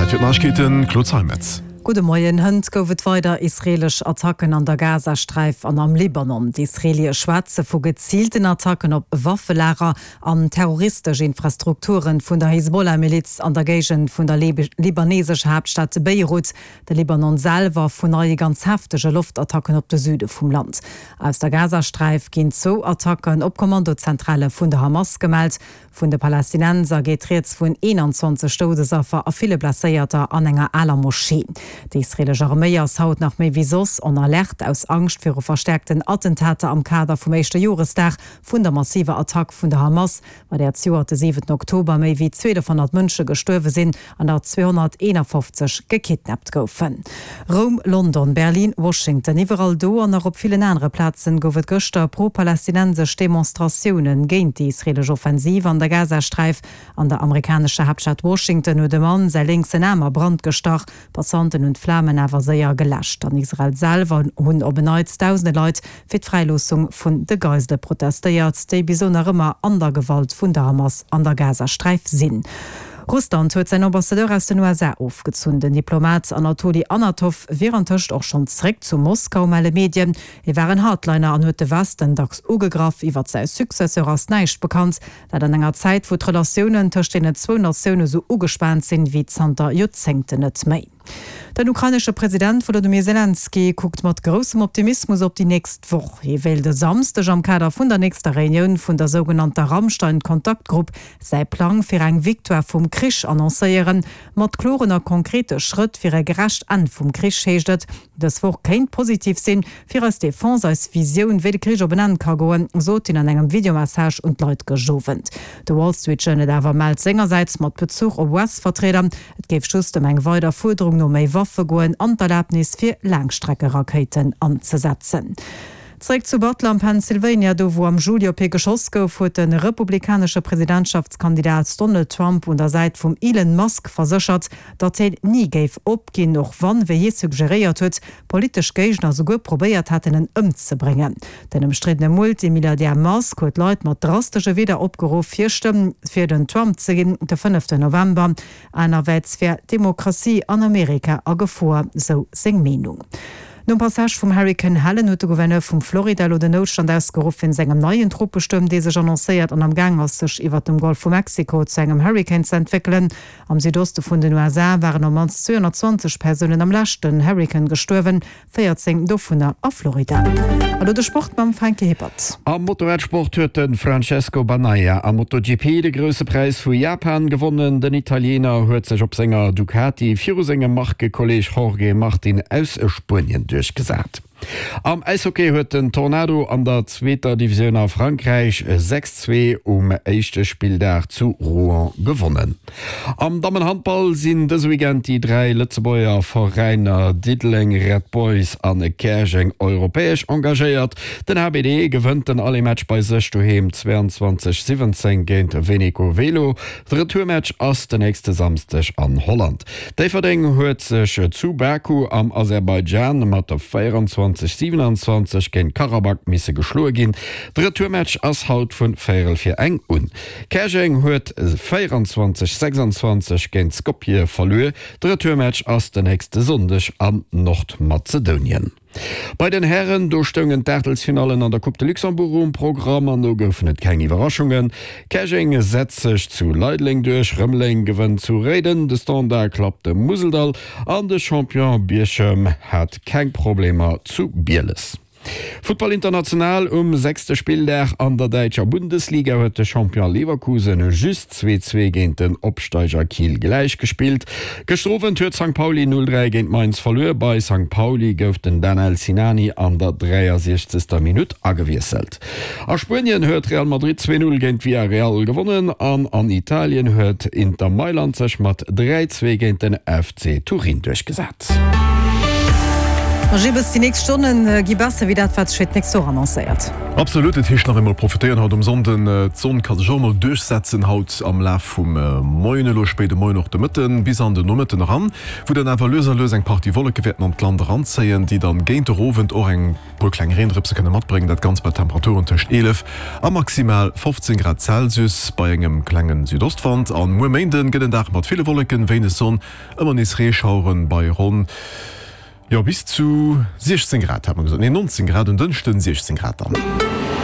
Zäit fir d'Neiegkeeten, Claude Zeimetz. Gudde Moien. Hënt gouf et weider israeelesch Attacken an der Gazasträif an am Libanon. D'Israeelie schwätze vu geziilten Attacken op Waffelager an terroristesch Infrastrukture vun der Hisbollah-Miliz an der Géigend vun der libanesescher Haaptstad Beirut. De Libanon selwer vun neie ganz heftege Loftattacken op de Süde vum Land. Aus der Gazasträif ginn zwou Attacken op Kommandozentrale vun der Hamas gemellt. Vun de Palästinenser geet rieds vun 21 Doudesaffer a ville Blesséierter an enger aler Moschee. Déi israeelesch Arméi ass haut nach méi wéi soss en Alerte aus Angscht viru verstäerkten Attentater am Kader vum éischte Joresdag vun der massiver Attack vun der Hamas, bei där zejoert de 7 Oktober méi wéi 1.200 Mënsche gestuerwe sinn an der 251 gekidnappt goufen. Roum, London, Berlin, Washington, iwwerall do an nach op villen anere Plazen gouf et gëschter pro-palästinensesch Demonstratioune géint déi israeelesch Offensiv an der Gazasträif. An der amerikanescher Haaptstad Washington huet e Mann säi lénksen Aarm a Brand gestach. Passanten hunn d'Flamen awer séier geläscht. An Israel selwer hunn op en Neits dausende Leit fir d'Fräiloossung vun de Geisele protestéiert, déi bis elo nach ëmmer an der Gewalt vun der Hamas an der Gazasträif sinn. Russland huet säin Ambassadeur aus den USA ofgezunn. Den Diplomat Anatoli Anatow wier antëscht och schonn zeréck zu Moskau, melle Medien. Hie war en Hardliner an huet de Westen dacks ugegraff. Iwwer säi Successeur ass näischt bekannt. Dat an enger Zäit, wou d'Relatiounen tëscht deenen zwou Natioune sou ugespaant sinn, wéi zanter Joerzéngten net méi. Den ukrainesche President Wolodymyr Selenskyj kuckt mat groussem Optimismus op déi nächst Woch. Hie wéilt e Samsdeg am Kader vun der nächster Reunioun vun der sougenannter Ramstein-Kontaktgrupp säi Plang fir eng Victoire vum Krich annoncéieren. Mat kloren a konkrete Schrëtt fir e gerecht Enn vum Krich, heescht et. Dës Woch kéint positiv sinn fir eis Defense, eis Visioun, wéi de Krich op en Enn ka goen, sot hien an engem Videomessage un d'Leit gëscht Owend. De Wall Street Journal awer mellt sengersäits mat Bezuch op US-Vertrieder, et géif just ëm eng weider Fuerderung no méi Waffe goen an d'Erlabnis fir Laangstreckerakéiten anzesetzen. Zeréck zu Butler am Pennsylvania, do wou am Juli op hie geschoss gouf, huet de republikanesche Presidentschaftskandidat Donald Trump un der Säit vum Elon Musk verséchert, datt hien ni géif opginn, och wann, wéi hie suggeréiert huet, politesch Géigner souguer probéiert hätten, en ëmzebréngen. Den ëmstriddene Multimilliardär Musk huet d'Leit mat drastesche Wieder opgeruff, hir Stëmm fir den Trump ze ginn, de fënneften November. Anerwäerts wär d'Demokratie an Amerika a Gefor, sou seng Meenung. Nom Passage vum Hurrikan Helen huet de Gouverneur vum Florida elo den Noutstand ausgeruff wéinst engem neien Tropestuerm, dee sech annoncéiert an am Gaang ass, sech iwwert dem Golf vu Mexiko zu engem Hurrikan ze entwéckelen. Am Südoste vun den USA waren op mannst 220 Persounen am leschten Hurrikan gestuerwen, 14 dovunner a Florida. An elo de Sport mam Franky Hippert. Am Motorradsport huet de Francesco Bagnaia am MotoGP de Grousse Präis vu Japan gewonnen. Den Italiener huet sech op senger Ducati viru sengem Markekolleeg Jorge Martin aus Spuenien duerchgesat. Am Äishockey huet den Tornado an der zweeter Divisioun a Frankräich 6, 2 um éischte Spilldag zu Rouen gewonnen. Am Dammenhandball sinn dëse Weekend déi 3 Lëtzebuerger Veräiner Diddeleng Red Boys a Käerjeng europäesch engagéiert. Den HBD gewënnt den Aller-Match bei sech doheem 22, 17 géint Veneco Velo. De Retourmatch ass de nächste Samsdeg an Holland. Déifferdeng huet sech zu Baku am Aserbaidschan mat 24, 27 géint Karabakh misse geschloe ginn. De Retourmatch ass haut vun véierel fir eng un. Käerjeng huet 24, 26 géint Skopje verluer. De Retourmatch ass de nächste Sonndeg an Nordmazedounien. Bei den Hären, do stoungen d'Aachtelsfinallen an der Coupe de Luxembourg um Programm an do goufen et keng Iwwerraschungen. Käerjeng setzt sech zu Leideleng duerch, Rëmeleng gewënnt zu Réiden, de Standard klappt de Museldall an de Champion Bierchem hat keng Problemer zu Bieles. Futtball international, Um sechste Spilldag an der däitscher Bundesliga huet de Champion Leverkusen just 2, 2 géint den Opsteiger Kiel gläich gespillt. Gëschter Owend huet Sankt Pauli 0, 3 géint Mainz verluer. Bei Sankt Pauli gouf den Danel Sinani an der 63. Minutt agewiesselt. A Spuenien huet Real Madrid 2, 0 géint Villarreal gewonnen an an Italien huet Inter Mailand sech mat 3, 2 géint den FC Turin duerchgesat. Ma Gibbes, déi nächst Stonne gi besser wéi dat, wat sech fir d'nächst Woch annoncéiert. Absolut, et heescht nach eemol profitéieren haut um Sonnden. D'Sonn ka sech och emol duerchsetzen haut am Laf vum Moien, elo spéide Moien, och de Mëtten bis an den Nomëtten eran, wou dann awer lues a lues eng Partie Wolleke wäerten an d'Land eranzéien, déi dann géint der Owend och eng puer kleng Reendrëpse kënne matbréngen. Dat Ganzt bei Temperaturen tëscht 11 a maximal 15 Grad Celsius bei engem klenge Südostwand. An muer Méinden gëtt en Dag mat ville Wolleken, wéineg Sonn, ëmmer nees Reeschaueren bei ronn, jo, bis zu 16 Grad hat mer gesot, nee 19 Grad, en Dënschden 16 Grad dann.